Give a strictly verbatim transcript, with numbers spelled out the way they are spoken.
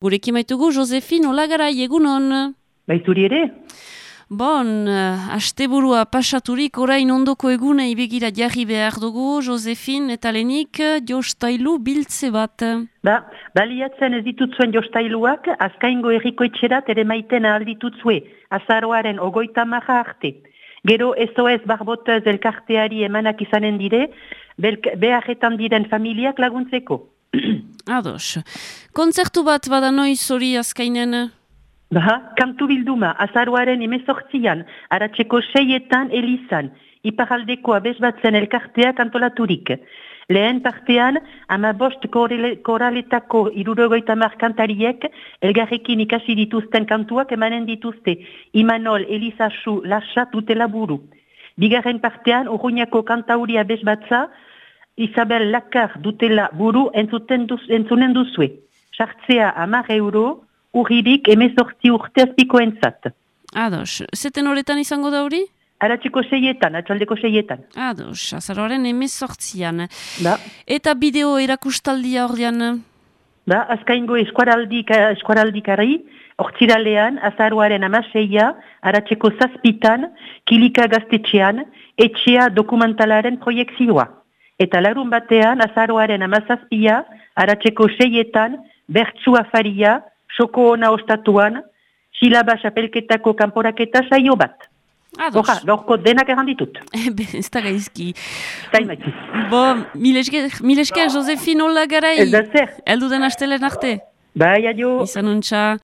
Gurekin maitugu, Josefin, hola garai, egunon. Baituri ere? Bon, uh, asteburua pasaturik orain ondoko egune ibegira jarri behar dugu, Josefin, eta lehenik jostailu biltze bat. Ba, baliatzen ez ditutzuen jostailuak, azkaingo erriko etxerat ere maiten alditutzue, azaroaren ogoita maja arte. Gero ez oez barbotez elkarteari emanak izanen dire, beharretan diren familiak laguntzeko. Ados. Kontzertu bat bada noiz hori azkainen? Ba, kantu bilduma, azaroaren emezortzian, aratzeko seietan elizan, iparaldeko abesbatzen elkarteak antolaturik. Lehen partean, ama bost koraletako irurogoita mar kantariek elgarrekin ikasi dituzten kantuak emanen dituzte, Imanol, Elizasu, Lasa, dutela buru. Bigarren partean, Urruñako kantauri abesbatza, Isabel Lakar dutela buru entzuten duz, entzunen duzue. Sartzea amar euro, urririk emezortzi urteazpiko entzat. Ados. Zeten horretan izango da hori? Aratzeko seietan, atxaldeko seietan. Ados, azaroaren emezortzian. Ba. Eta bideo erakustaldia ordean? Ba, azkaingo eskuaraldik, eskuaraldikari, ortsiralean, azaroaren amaseia, aratzeko zazpitan, kilika gaztetxean, etxea dokumentalaren proiektzioa. Eta larun batean, azaroaren amazazpia, aratzeko seietan, bertsu afaria, soko ona ostatuan, silaba xapelketako kanporaketa saio bat. Ados. Oja, gaurko denak erranditut. Ebe, ez da gaizki. Taimaki. Bo, milesker, milesker, Josefin, hola garai. Ez da zer. Eldu den astelen arte. Bai, adio. Izan untxa.